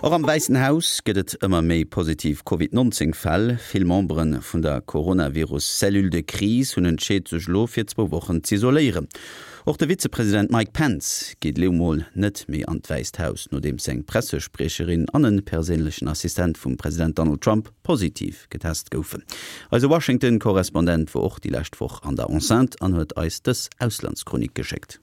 Och am Wäissen Haus gëtt et ëmmer méi positiv Covid 19 Fäll. Vill Membere vun der Coronavirus Cellule de crise hunn entscheet sech elo fir zwou Wochen z'isoléieren. Och de Vizepresident Mike Pence geet elo mol net méi an d'Wäisst Haus, nodeems seng Pressespriecherin an e perséinlechen Assistent vum President Donald Trump positiv getest goufen. Eise Washington-Korrespondent wor och déi lescht Woch an der Enceinte an huet eis dës Auslandschronik geschéckt.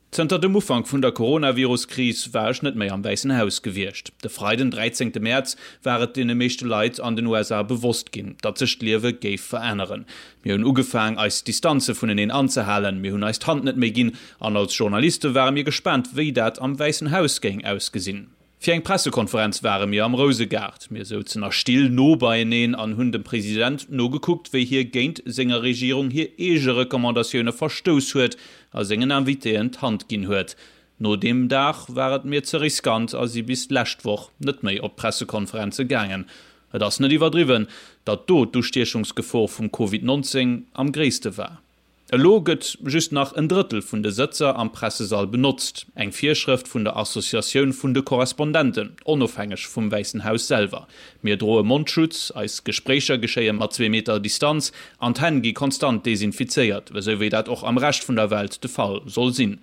Zënter dem Ufank vun der Coronavirus-Kris war ech net méi am Wäissen Haus gewiescht. De Freiden, 13 Mäerz, war et deene meeschte Leit an den USA bewosst ginn, datt sech d'Liewe géif veränneren. Mir hunn ugefaang, eis Distanze vuneneen anzehalen, mir hunn eis d'Hand net méi ginn an als Journaliste ware mir gespaant, wéi dat am Wäissen Haus géing ausgesinn. Fir eng Pressekonferenz ware mir am Rousegaart. Mir souzen a Still no beieneen an hunn dem President nogekuckt, wéi hie géint senger Regierung hir eege Recommandatioune verstouss huet a sengen Invitéen d'Hand ginn huet. No deem Dag war et mir ze riskant a si bis d'lescht Woch net méi op d'Pressekonferenze gaangen. Et ass net iwwerdriwwen, datt do d'Ustiechungsgefor vum Covid 19 am gréisste war. Elo gëtt just nach en Drëttel vun de Sëtzer am Pressesall benotzt, eng Virschrëft vun der Associatioun vun de Korrespondenten, onofhängeg vum Wäissen Haus selwer. Mir droe Mondschutz, eis Gespréicher geschéie mat zwee Meter Distanz an d'Hänn gi konstant desinfizéiert, esou wéi dat och am Rescht vun der Welt de Fall soll sinn.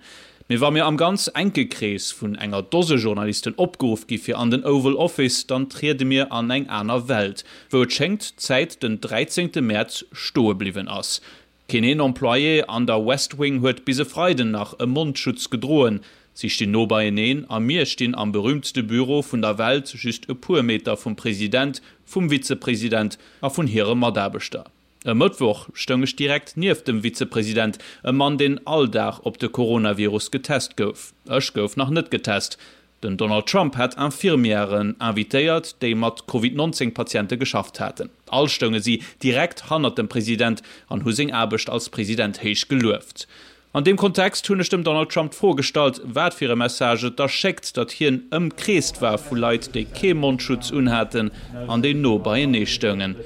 Mee wa mir am ganz enke Krees vun enger Dose Journalisten opgeruff gi fir an den Oval Office, dann triede mir an eng aner Welt, wou et schéngt d'Zäit den 13 Mäerz stoe bliwwen ass. Keen een Employé an der West Wing huet bis e Freiden nach e Mondschutz gedroen. Si stinn no beieneen a mir stinn am berüümtste Büro vun der Welt, just e puer Meter vum President, vum Vizepresident a vun hire Mataarbechter. E Mëttwoch stoung ech direkt nieft dem Vizepresident, e Mann, deen all Dag op de Coronavirus getest gouf. Ech gouf nach net getest. Den Donald Trump hat Infirmièren invitéiert, déi mat Covid 19 Patiente geschafft haten. All stounge si direkt hannert dem President an hu seng Aarbecht als President héich gelueft. An deem Kontext hunn ech dem Donald Trump d'Fro gestallt, wat fir e Message et da schéckt, datt hien ëmkreest war vu Leit, déi kee Mondschutz unhaten an déi no beienee stoungen.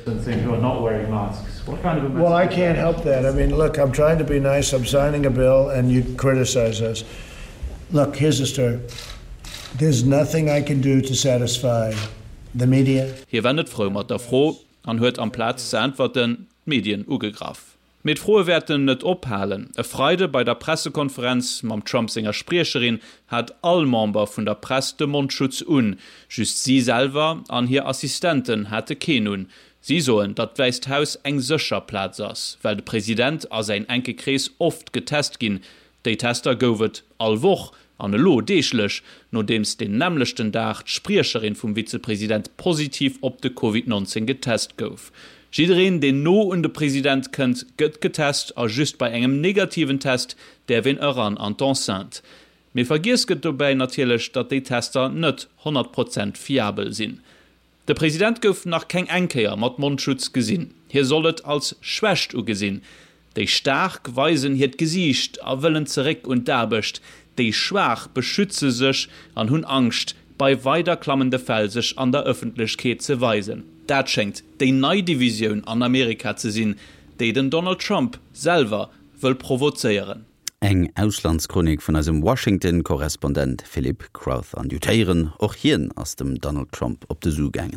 Look, here's the story, There's nothing I can do to satisfy the media. Hie war net frou mat der Fro an huet amplaz ze äntwerten, d'Medien ugegraff. Mee d'Froe wäerten net ophalen. E Freide bei der Pressekonferenz mam Trump senger Spriecherin hat all Member vun der Press de Mondschutz un. Just si selwer an hir Assistenten hate keen un. Si soen, datt d'Wäisst Haus eng sécher Plaz ass, well de President a säin enke Krees oft getest ginn. Déi Tester gouf et all Woch, an elo deeglech, nodeems deen nämmlechten Dag d'Spriecherin vum Vizepresident positiv op de Covid 19 getest gouf. Jiddereen, deen no un de President kënnt, gëtt getest a just bei engem negativen Test däerf een eran an d'Enceinte. Mee vergiess gëtt dobäi natierlech, datt déi Tester net 100 Prozent fiabel sinn. De President gouf nach keng eng Kéier mat Mondschutz gesinn. Hie soll et als Schwächt ugesinn. Déi Staark weisen hiert Gesiicht a wëllen zeréck un d'Aarbecht, déi Schwaach beschütze sech an hunn Angscht, bei weider klammende Fäll sech an der Ëffentlechkeet ze weisen. Dat schéngt déi nei Divisioun an Amerika ze sinn, déi den Donald Trump selwer wëll provozéieren. Eng Auslandschronik vun eisem Washington-Korrespondent Philip Crowther. An dir hutt héieren, och hien ass dem Donald Trump op de Su gaangen.